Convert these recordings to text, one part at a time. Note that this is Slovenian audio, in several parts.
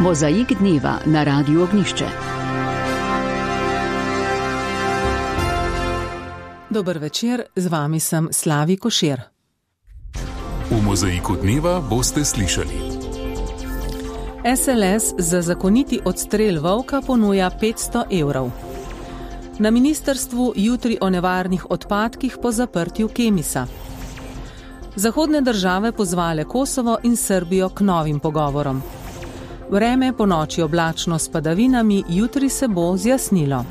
Mozaik dneva na Radiu Ognjišče. Dober večer, z vami sem Slavi Košir. V Mozaiku dneva boste slišali. SLS za zakoniti odstrel volka ponuja 500 evrov. Na ministrstvu jutri o nevarnih odpadkih po zaprtju Kemisa. Zahodne države pozvale Kosovo in Srbijo k novim pogovorom. Vreme ponoči oblačno s padavinami, jutri se bo zjasnilo.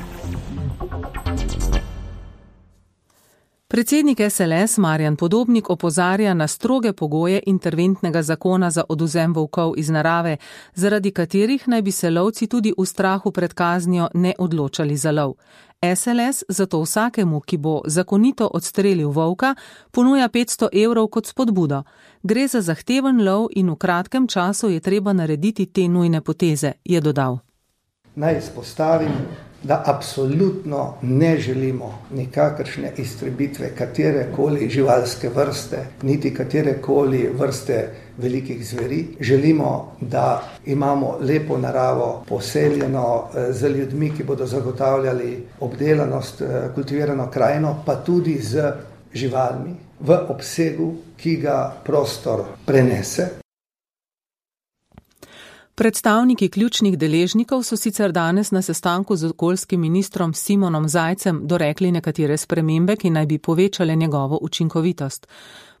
Predsednik SLS Marjan Podobnik opozarja na stroge pogoje interventnega zakona za odvzem volkov iz narave, zaradi katerih naj bi se lovci tudi v strahu pred kaznijo ne odločali za lov. SLS zato vsakemu, ki bo zakonito odstrelil volka, ponuja 500 evrov kot spodbudo. Gre za zahteven lov in v kratkem času je treba narediti te nujne poteze, je dodal. Naj izpostavim, da absolutno ne želimo nikakršne iztrebitve katerekoli živalske vrste, niti katerekoli vrste velikih zveri. Želimo, da imamo lepo naravo poseljeno z ljudmi, ki bodo zagotavljali obdelanost, kultivirano krajino, pa tudi z živalmi v obsegu, ki ga prostor prenese. Predstavniki ključnih deležnikov so sicer danes na sestanku z okoljskim ministrom Simonom Zajcem dorekli nekatere spremembe, ki naj bi povečale njegovo učinkovitost.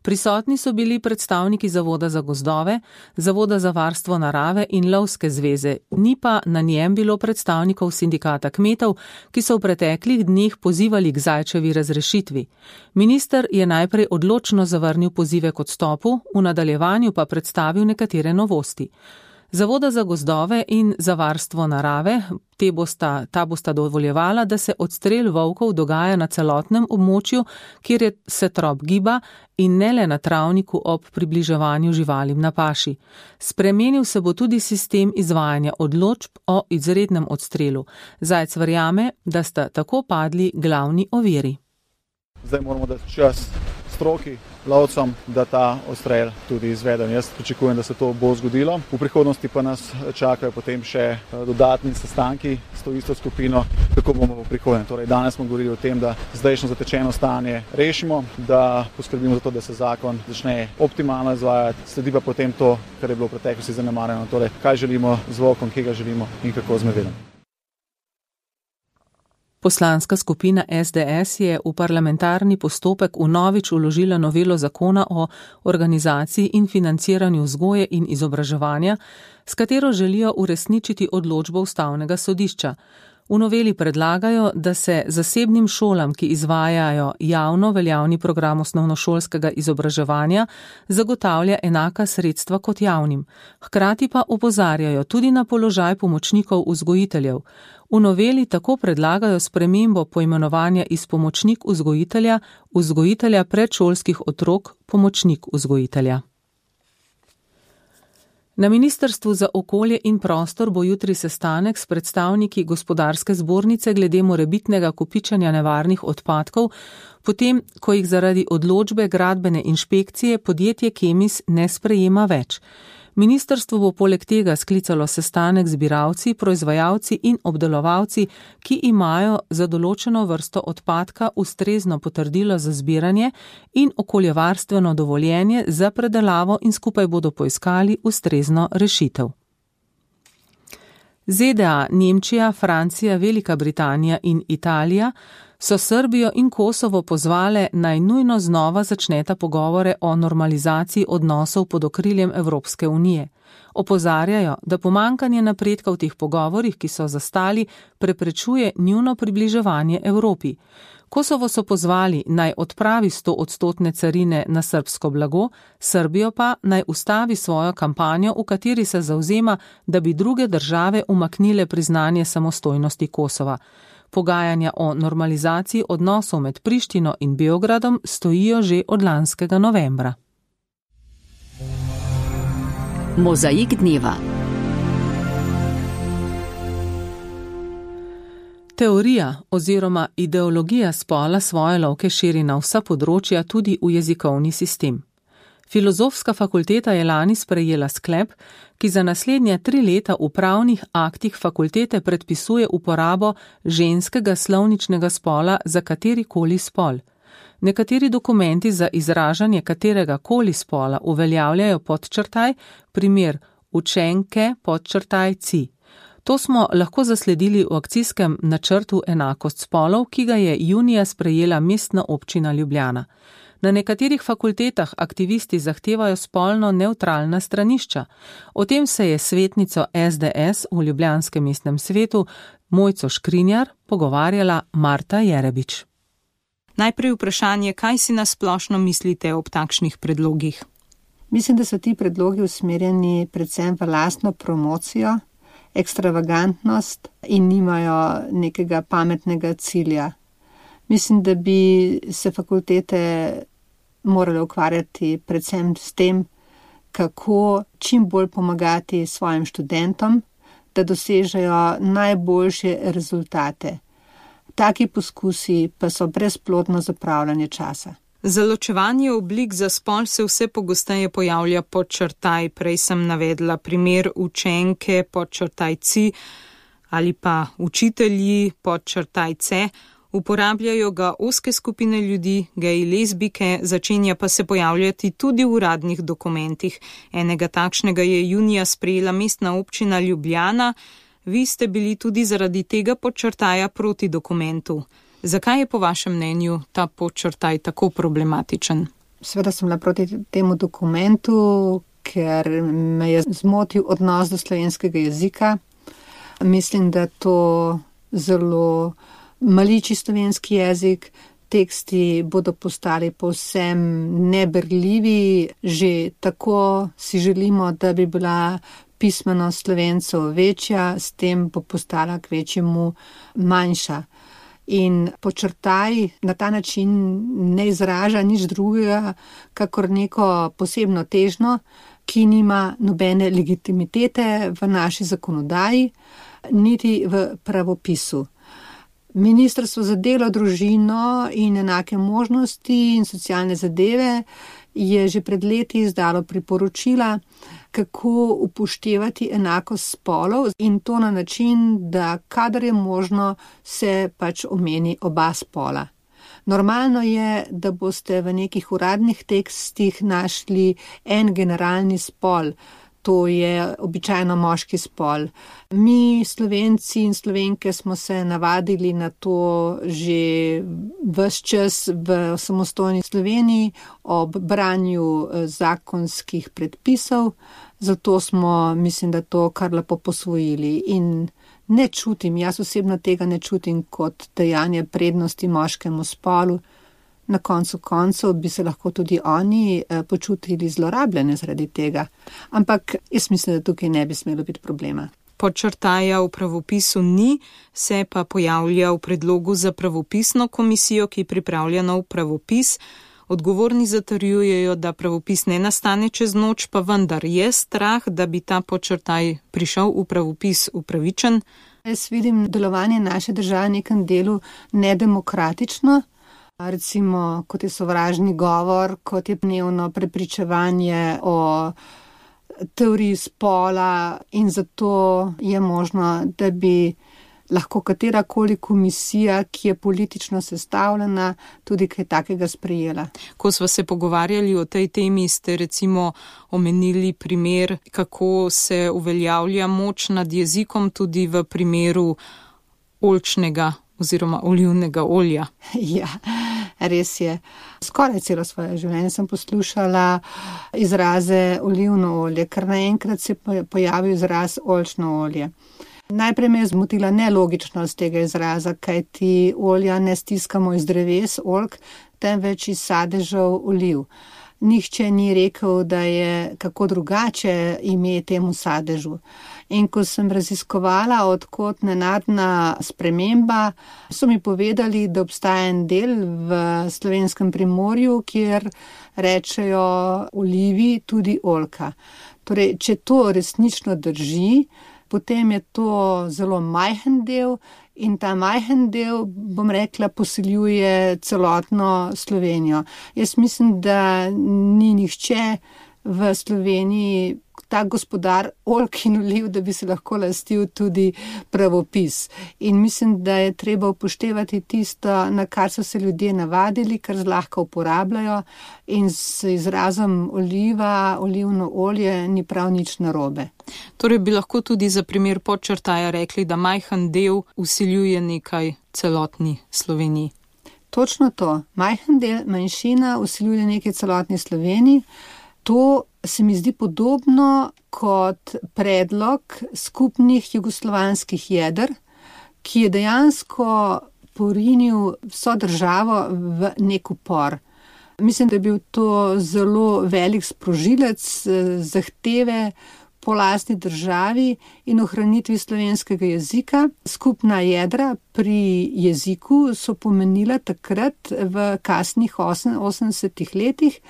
Prisotni so bili predstavniki Zavoda za gozdove, Zavoda za varstvo narave in Lovske zveze, ni pa na njem bilo predstavnikov sindikata kmetov, ki so v preteklih dneh pozivali k Zajčevi razrešitvi. Minister je najprej odločno zavrnil pozive k odstopu, v nadaljevanju pa predstavil nekatere novosti. Zavoda za gozdove in za varstvo narave, ta bosta dovoljevala, da se odstrel volkov dogaja na celotnem območju, kjer se trop giba in ne le na travniku ob približevanju živalim na paši. Spremenil se bo tudi sistem izvajanja odločb o izrednem odstrelu. Zajc verjame, da sta tako padli glavni oviri. Zdaj moramo dati čas stroki, lovcem, da ta odstrel tudi izveden. Jaz pričakujem, da se to bo zgodilo. V prihodnosti pa nas čakajo potem še dodatni sestanki s to isto skupino, kako bomo v prihodnje. Torej, danes smo govorili o tem, da zdajšnje zatečeno stanje rešimo, da poskrbimo za to, da se zakon začne optimalno izvajati, sledi pa potem to, kar je bilo v preteklosti zanemarjeno. Torej, kaj želimo z volkom, kje ga želimo in kako z medvedom. Poslanska skupina SDS je v parlamentarni postopek vnovič vložila novelo zakona o organizaciji in financiranju vzgoje in izobraževanja, s katero želijo uresničiti odločbo Ustavnega sodišča. V noveli predlagajo, da se zasebnim šolam, ki izvajajo javno veljavni program osnovnošolskega izobraževanja, zagotavlja enaka sredstva kot javnim. Hkrati pa opozarjajo tudi na položaj pomočnikov vzgojiteljev. V noveli tako predlagajo spremembo poimenovanja iz pomočnik vzgojitelja predšolskih otrok, pomočnik vzgojitelja. Na Ministrstvu za okolje in prostor bo jutri sestanek s predstavniki gospodarske zbornice glede morebitnega kopičenja nevarnih odpadkov, potem, ko jih zaradi odločbe gradbene inšpekcije podjetje Kemis ne sprejema več. Ministrstvo bo poleg tega sklicalo sestanek z zbiralci, proizvajalci in obdelovalci, ki imajo za določeno vrsto odpadka ustrezno potrdilo za zbiranje in okoljevarstveno dovoljenje za predelavo in skupaj bodo poiskali ustrezno rešitev. ZDA, Nemčija, Francija, Velika Britanija in Italija so Srbijo in Kosovo pozvale naj nujno znova začneta pogovore o normalizaciji odnosov pod okriljem Evropske unije. Opozarjajo, da pomanjkanje napredka v teh pogovorih, ki so zastali, preprečuje njuno približevanje Evropi. Kosovo so pozvali naj odpravi 100% carine na srbsko blago, Srbijo pa naj ustavi svojo kampanjo, v kateri se zavzema, da bi druge države umaknile priznanje samostojnosti Kosova. Pogajanja o normalizaciji odnosov med Prištino in Beogradom stojijo že od lanskega novembra. Mozaik dneva. Teorija oziroma ideologija spola svoje lovke širi na vsa področja, tudi v jezikovni sistem. Filozofska fakulteta je lani sprejela sklep, ki za naslednje 3 leta v pravnih aktih fakultete predpisuje uporabo ženskega slovničnega spola za katerikoli spol. Nekateri dokumenti za izražanje katerega koli spola uveljavljajo podčrtaj, primer učenke podčrtaj ci. To smo lahko zasledili v akcijskem načrtu Enakost spolov, ki ga je junija sprejela Mestna občina Ljubljana. Na nekaterih fakultetah aktivisti zahtevajo spolno nevtralna stranišča. O tem se je svetnico SDS v Ljubljanskem mestnem svetu Mojco Škrinjar pogovarjala Marta Jerebič. Najprej vprašanje, kaj si nasplošno mislite ob takšnih predlogih? Mislim, da so ti predlogi usmerjeni predvsem v lastno promocijo, ekstravagantnost in nimajo nekega pametnega cilja. Mislim, da bi se fakultete morale ukvarjati predvsem s tem, kako čim bolj pomagati svojim študentom, da dosežejo najboljše rezultate. Taki poskusi pa so brezplodno zapravljanje časa. Za ločevanje oblik za spol se vse pogosteje pojavlja podčrtaj. Prej sem navedla primer učenke podčrtaj ci ali pa učitelji podčrtaj ce. Uporabljajo ga ozke skupine ljudi, geji, lezbike, začenja pa se pojavljati tudi v uradnih dokumentih. Enega takšnega je junija sprejela Mestna občina Ljubljana. Vi ste bili tudi zaradi tega podčrtaja proti dokumentu. Zakaj je po vašem mnenju ta podčrtaj tako problematičen? Seveda sem bila proti temu dokumentu, ker me je zmotil odnos do slovenskega jezika. Mislim, da to zelo maliči slovenski jezik. Teksti bodo postali povsem neberljivi. Že tako si želimo, da bi bila pismenost Slovencev večja, s tem bo postala k večjemu manjša. In podčrtaj na ta način ne izraža nič drugega, kakor neko posebno težnjo, ki nima nobene legitimitete v naši zakonodaji, niti v pravopisu. Ministrstvo za delo, družino in enake možnosti in socialne zadeve je že pred leti izdalo priporočila, kako upoštevati enakost spolov, in to na način, da kadar je možno, se pač omeni oba spola. Normalno je, da boste v nekih uradnih tekstih našli en generalni spol, to je običajno moški spol. Mi, Slovenci in Slovenke, smo se navadili na to že ves čas v samostojni Sloveniji ob branju zakonskih predpisov, zato smo, mislim, da to kar lepo posvojili. In ne čutim, jaz osebno tega ne čutim kot dajanje prednosti moškemu spolu. Na koncu koncev bi se lahko tudi oni počutili zlorabljene zaradi tega. Ampak jaz mislim, da tukaj ne bi smelo biti problema. Podčrtaja v pravopisu ni, se pa pojavlja v predlogu za pravopisno komisijo, ki pripravlja nov pravopis. Odgovorni zatrjujejo, da pravopis ne nastane čez noč, pa vendar je strah, da bi ta podčrtaj prišel v pravopis upravičen. Jaz vidim delovanje naše države v nekem delu nedemokratično. Recimo, kot je sovražni govor, kot je dnevno prepričevanje o teoriji spola, in zato je možno, da bi lahko katerakoli komisija, ki je politično sestavljena, tudi kaj takega sprejela. Ko sva se pogovarjali o tej temi, ste recimo omenili primer, kako se uveljavlja moč nad jezikom tudi v primeru oljčnega oziroma olivnega olja. Ja, res je. Skoraj celo svoje življenje sem poslušala izraze olivno olje, ker naenkrat se pojavi izraz oljčno olje. Najprej me je zmotila nelogičnost tega izraza, kajti olja ne stiskamo iz dreves oljk, temveč iz sadežev oliv. Nihče ni rekel, da je kako drugače ime temu sadežu. In ko sem raziskovala, odkot nenadna sprememba, so mi povedali, da obstaja en del v Slovenskem Primorju, kjer rečejo olivi tudi oljka. Torej, če to resnično drži, potem je to zelo majhen del in ta majhen del, bom rekla, posiljuje celotno Slovenijo. Jaz mislim, da ni nihče v Sloveniji tak gospodar oljk in oliv, da bi se lahko lastil tudi pravopis. In mislim, da je treba upoštevati tisto, na kar so se ljudje navadili, kar zlahka uporabljajo, in z izrazom oliva, olivno olje ni prav nič narobe. Torej bi lahko tudi za primer Podčrtaja rekli, da majhen del vsiljuje nekaj celotni Sloveniji. Točno to. Majhen del, manjšina vsiljuje nekaj celotni Sloveniji. To se mi zdi podobno kot predlog skupnih jugoslovanskih jeder, ki je dejansko porinil vso državo v nek upor. Mislim, da je bil to zelo velik sprožilec zahteve po lastni državi in ohranitvi slovenskega jezika. Skupna jedra pri jeziku so pomenila takrat v kasnih 80 letih,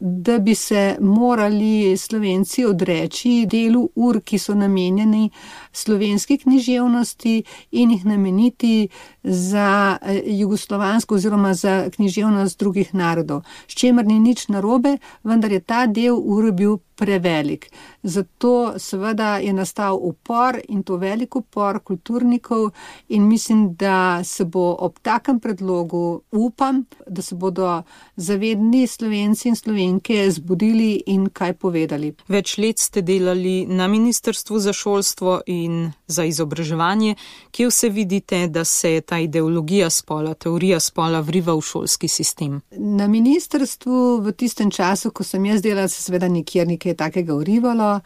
da bi se morali Slovenci odreči delu ur, ki so namenjeni slovenski književnosti, in jih nameniti za jugoslovansko oziroma za književnost drugih narodov. S čemer ni nič narobe, vendar je ta del ur bil prevelik. Zato seveda je nastal upor, in to velik upor kulturnikov, in mislim, da se bo ob takem predlogu, upam, da se bodo zavedni Slovenci in Slovenke zbudili in kaj povedali. Več let ste delali na Ministrstvu za šolstvo in za izobraževanje. Kje vse vidite, da se ta ideologija spola, teorija spola vriva v šolski sistem? Na ministrstvu v tistem času, ko sem jaz delala, se seveda nikjer nekaj takega vrivalo.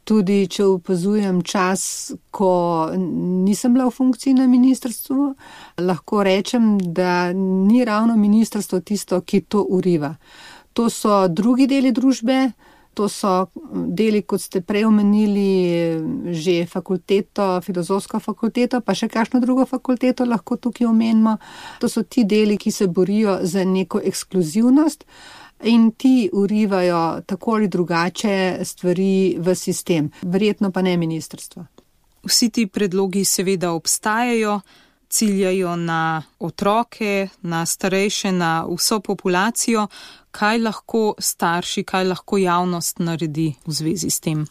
Tudi če opazujem čas, ko nisem bila v funkciji na ministrstvu, lahko rečem, da ni ravno ministrstvo tisto, ki to uriva. To so drugi deli družbe, to so deli, kot ste prej omenili, že fakulteto, filozofsko fakulteto, pa še kakšno drugo fakulteto lahko tukaj omenimo. To so ti deli, ki se borijo za neko ekskluzivnost, in ti urivajo tako ali drugače stvari v sistem, verjetno pa ne ministrstvo. Vsi ti predlogi seveda obstajajo, ciljajo na otroke, na starejše, na vso populacijo. Kaj lahko starši, kaj lahko javnost naredi v zvezi s tem?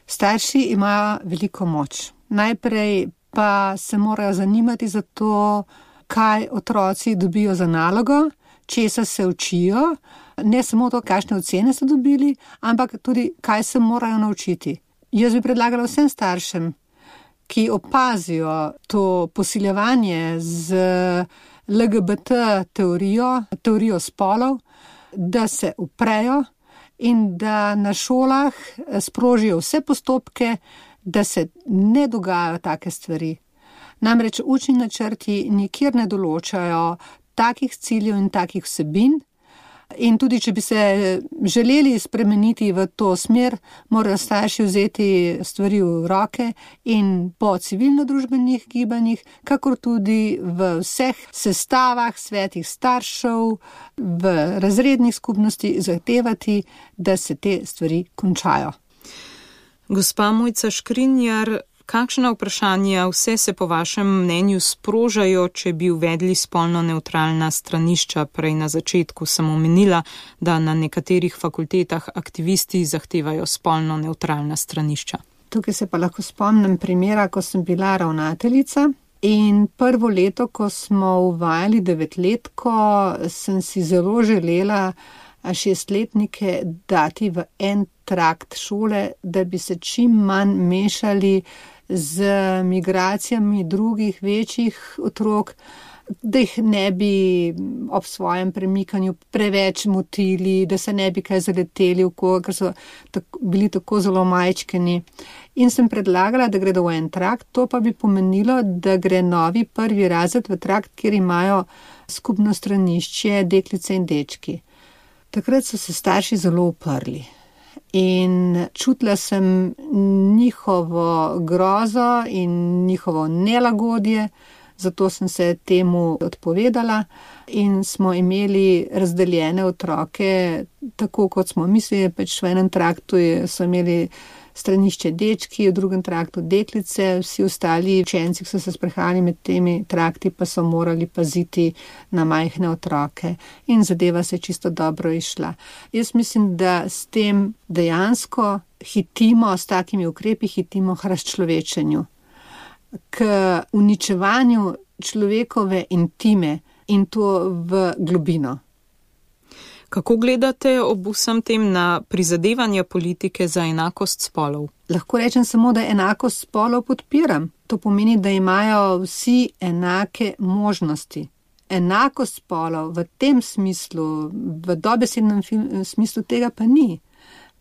Starši imajo veliko moč. Najprej pa se morajo zanimati za to, kaj otroci dobijo za nalogo, česa se učijo, ne samo to, kakšne ocene so dobili, ampak tudi, kaj se morajo naučiti. Jaz bi predlagala vsem staršem, ki opazijo to posiljevanje z LGBT teorijo spolov, da se uprejo in da na šolah sprožijo vse postopke, da se ne dogajajo take stvari. Namreč učni načrti nikjer ne določajo takih ciljev in takih vsebin, in tudi, če bi se želeli spremeniti v to smer, morajo starši vzeti stvari v roke in po civilno-družbenih gibanjih, kakor tudi v vseh sestavah, svetih staršev, v razrednih skupnosti zahtevati, da se te stvari končajo. Gospa Mojca Škrinjar, kakšna vprašanja vse se po vašem mnenju sprožajo, če bi uvedli spolno nevtralna stranišča? Prej na začetku sem omenila, da na nekaterih fakultetah aktivisti zahtevajo spolno nevtralna stranišča. Tukaj se pa lahko spomnim primera, ko sem bila ravnateljica, in prvo leto, ko smo uvajali 9-letko, sem si zelo želela 6-letnike dati v en trakt šole, da bi se čim manj mešali z migracijami drugih večjih otrok, da jih ne bi ob svojem premikanju preveč motili, da se ne bi kaj zaleteli v koga, ker so bili tako zelo majčkeni. In sem predlagala, da gredo v en trakt, to pa bi pomenilo, da gre novi 1. razred v trakt, kjer imajo skupno stranišče deklice in dečki. Takrat so se starši zelo uprli. In čutila sem njihovo grozo in njihovo nelagodje, zato sem se temu odpovedala in smo imeli razdeljene otroke, tako kot smo mislili, pač v enem traktu so imeli stranišče dečki, v drugem traktu deklice, vsi ostali učenci, ki so se sprehajali med temi trakti, pa so morali paziti na majhne otroke in zadeva se čisto dobro išla. Jaz mislim, da s tem dejansko hitimo, s takimi ukrepi hitimo k razčlovečenju, k uničevanju človekove intime in to v globino. Kako gledate ob vsem tem na prizadevanja politike za enakost spolov? Lahko rečem samo, da enakost spolov podpiram. To pomeni, da imajo vsi enake možnosti. Enakost spolov v tem smislu, v dobesednem smislu tega pa ni.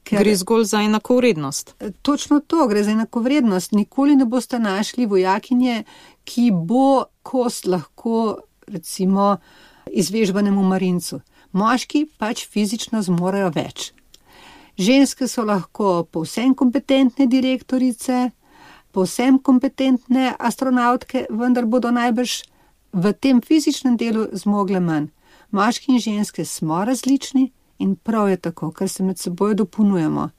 Gre zgolj za enakovrednost. Točno to, gre za enakovrednost. Nikoli ne boste našli vojakinje, ki bo kost lahko, recimo, izvežbanemu marincu. Moški pač fizično zmorejo več. Ženske so lahko povsem kompetentne direktorice, povsem kompetentne astronautke, vendar bodo najbrž v tem fizičnem delu zmogle manj. Moški in ženske smo različni in prav je tako, ker se med seboj dopolnjujemo.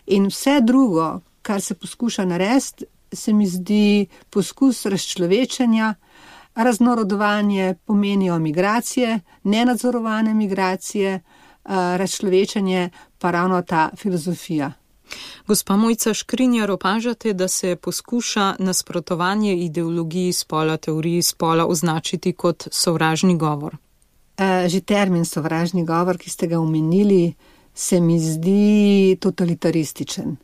In vse drugo, kar se poskuša narediti, se mi zdi poskus razčlovečenja. Raznorodovanje pomenijo migracije, nenadzorovane migracije, razčlovečenje pa ravno ta filozofija. Gospa Mojca Škrinjar, opažate, da se poskuša nasprotovanje ideologiji spola, teoriji spola označiti kot sovražni govor? Že termin sovražni govor, ki ste ga omenili, se mi zdi totalitarističen.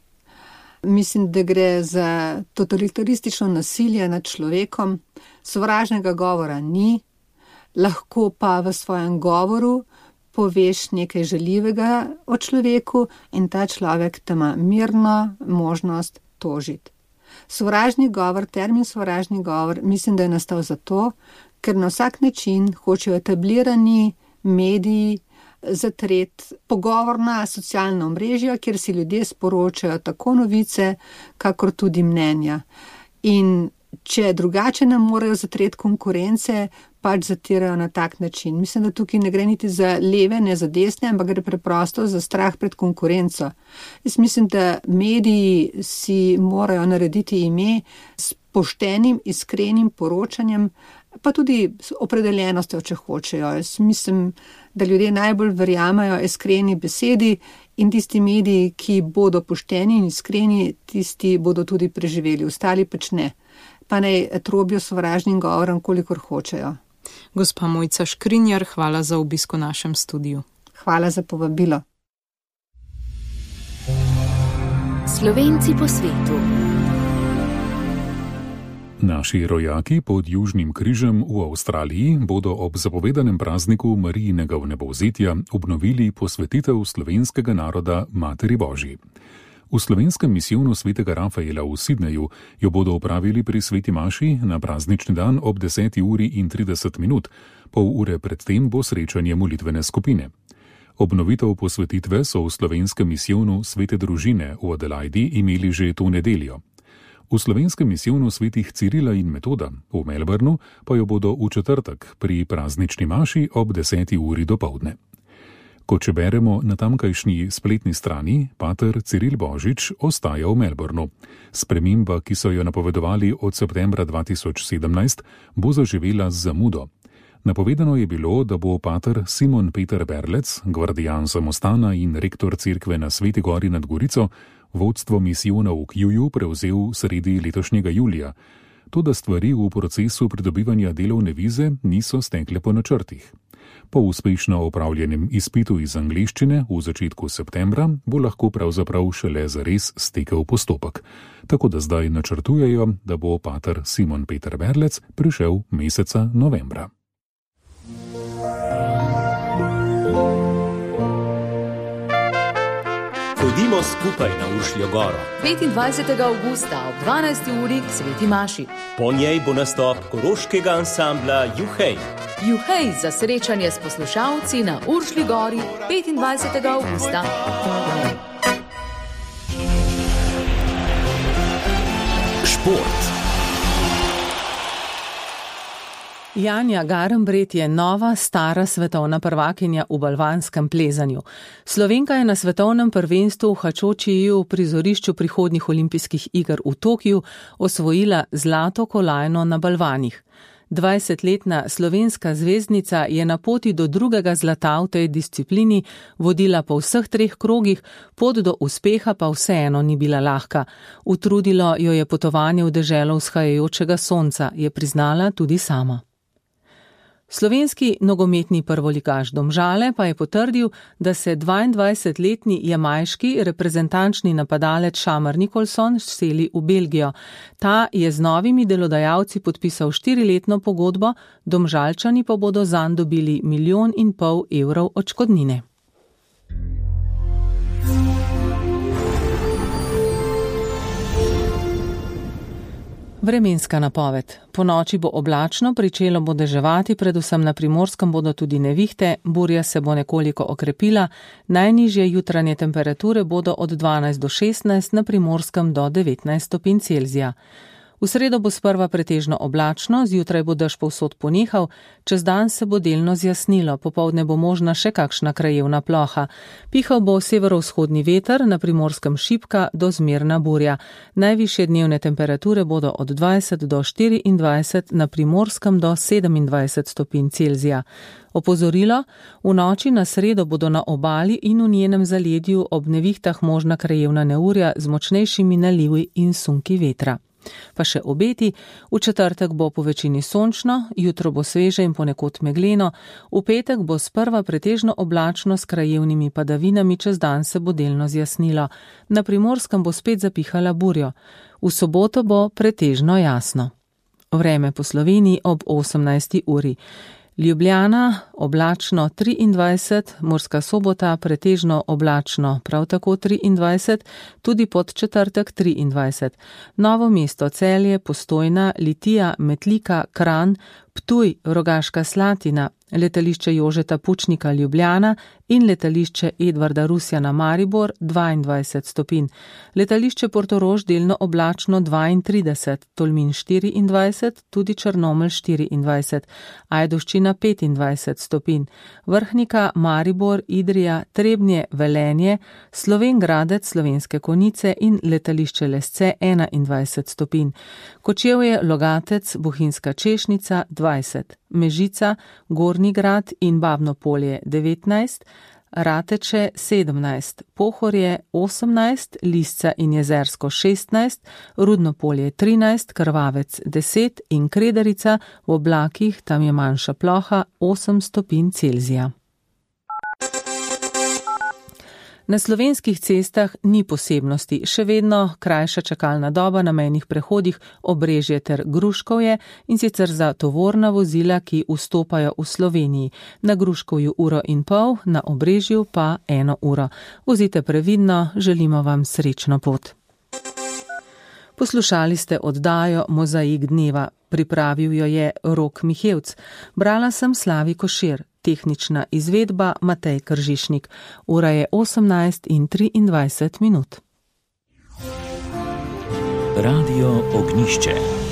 Mislim, da gre za totalitaristično nasilje nad človekom. Sovražnega govora ni, lahko pa v svojem govoru poveš nekaj žaljivega o človeku in ta človek te ima mirno možnost tožiti. Sovražni govor, termin sovražni govor, mislim, da je nastal zato, ker na vsak način hočejo etablirani mediji zatreti pogovorna socialna omrežja, kjer si ljudje sporočajo tako novice, kakor tudi mnenja. In če drugače ne morejo zatreti konkurence, pač zatirajo na tak način. Mislim, da tukaj ne gre niti za leve, ne za desne, ampak gre preprosto za strah pred konkurenco. Jaz mislim, da mediji si morajo narediti ime s poštenim, iskrenim poročanjem, pa tudi s opredeljenostjo, če hočejo. Jaz mislim, da ljudje najbolj verjamajo iskreni besedi in tisti mediji, ki bodo pošteni in iskreni, tisti bodo tudi preživeli, ostali pač ne. Pa naj trobijo sovražnim govorom, kolikor hočejo. Gospa Mojca Škrinjar, hvala za obisk v našem studiu. Hvala za povabilo. Slovenci po svetu. Naši rojaki pod Južnim križem v Avstraliji bodo ob zapovedanem prazniku Marijinega vnebovzetja obnovili posvetitev slovenskega naroda Materi Božji. V slovenskem misijonu svetega Rafaela v Sidneju jo bodo opravili pri sveti maši na praznični dan ob 10:30. Pol ure predtem bo srečanje molitvene skupine. Obnovitev posvetitve so v slovenskem misijonu svete družine v Adelaidi imeli že to nedeljo. V slovenskem misijonu svetih Cirila in Metoda v Melbournu pa jo bodo v četrtek pri praznični maši ob 10:00 dopoldne. Kot če beremo na tamkajšnji spletni strani, pater Ciril Božič ostaja v Melbournu. Sprememba, ki so jo napovedovali od septembra 2017, bo zaživela z zamudo. Napovedano je bilo, da bo pater Simon Peter Berlec, gvardijan samostana in rektor cerkve na Sveti Gori nad Gorico, vodstvo misijona v Kjuju prevzel sredi letošnjega julija. Toda stvari v procesu pridobivanja delovne vize niso stekle po načrtih. Po uspešno opravljenem izpitu iz angleščine v začetku septembra bo lahko pravzaprav šele zares stekel postopek. Tako da zdaj načrtujejo, da bo pater Simon Peter Berlec prišel meseca novembra. Pojdimo skupaj na Uršljo goro. 25. avgusta ob 12. uri k sveti maši. Po njej bo nastop koroškega ansambla Juhej. Juhej za srečanje s poslušalci na Uršlji gori 25. avgusta. Šport. Janja Garnbret je nova, stara svetovna prvakinja v balvanskem plezanju. Slovenka je na svetovnem prvenstvu v Hačočiju v prizorišču prihodnjih olimpijskih iger v Tokiu osvojila zlato kolajno na balvanih. 20-letna slovenska zvezdnica je na poti do drugega zlata v tej disciplini vodila po vseh 3 krogih, pot do uspeha pa vseeno ni bila lahka. Utrudilo jo je potovanje v deželo vzhajajočega sonca, je priznala tudi sama. Slovenski nogometni prvoligaš Domžale pa je potrdil, da se 22-letni jamajški reprezentančni napadalec Šamar Nikolson seli v Belgijo. Ta je z novimi delodajalci podpisal 4-letno pogodbo, Domžalčani pa bodo zanj dobili 1,5 milijona evrov odškodnine. Vremenska napoved. Po noči bo oblačno, pričelo bo deževati, predvsem na Primorskem bodo tudi nevihte, burja se bo nekoliko okrepila, najnižje jutranje temperature bodo od 12 do 16, na Primorskem do 19 stopinj Celzija. V sredo bo sprva pretežno oblačno, zjutraj bo dež povsod ponehal, čez dan se bo delno zjasnilo, popoldne bo možna še kakšna krajevna ploha. Pihal bo severovzhodni veter, na Primorskem šibka do zmerna burja. Najvišje dnevne temperature bodo od 20 do 24, na Primorskem do 27 stopinj Celzija. Opozorilo, v noči na sredo bodo na obali in v njenem zaledju ob nevihtah možna krajevna neurja z močnejšimi nalivi in sunki vetra. Pa še obeti, v četrtek bo po večini sončno, jutro bo sveže in ponekod megleno, v petek bo sprva pretežno oblačno s krajevnimi padavinami, čez dan se bo delno zjasnilo. Na Primorskem bo spet zapihala burjo. V soboto bo pretežno jasno. Vreme po Sloveniji ob 18. uri. Ljubljana oblačno 23, Murska Sobota pretežno oblačno prav tako 23, tudi pod četrtek 23. Novo mesto, Celje, Postojna, Litija, Metlika, Kranj, Ptuj, Rogaška Slatina, letališče Jožeta Pučnika Ljubljana in letališče Edvarda Rusjana Maribor 22 stopinj. Letališče Portorož delno oblačno 32, Tolmin 24, tudi Črnomelj 24, Ajdovščina 25 stopinj, Vrhnika, Maribor, Idrija, Trebnje, Velenje, Slovenj Gradec, Slovenske Konjice in letališče Lesce 21 stopinj. Kočevje, Logatec, Bohinjska Češnica 20, Mežica, Gornji Grad in Babno Polje 19, Rateče 17, Pohorje 18, Lisca in Jezersko 16, Rudno Polje 13, Krvavec 10 in Kredarica v oblakih, tam je manjša ploha 8 stopinj Celzija. Na slovenskih cestah ni posebnosti, še vedno krajša čakalna doba na mejnih prehodih Obrežje ter Gruškovje, in sicer za tovorna vozila, ki vstopajo v Sloveniji. Na Gruškovju 1,5 ure, na Obrežju pa 1 uro. Vozite previdno, želimo vam srečno pot. Poslušali ste oddajo Mozaik dneva. Pripravil jo je Rok Mihevc. Brala sem Slavi Košir. Tehnična izvedba Matej Kržišnik. Ura je 18:23. Radio Ognjišče.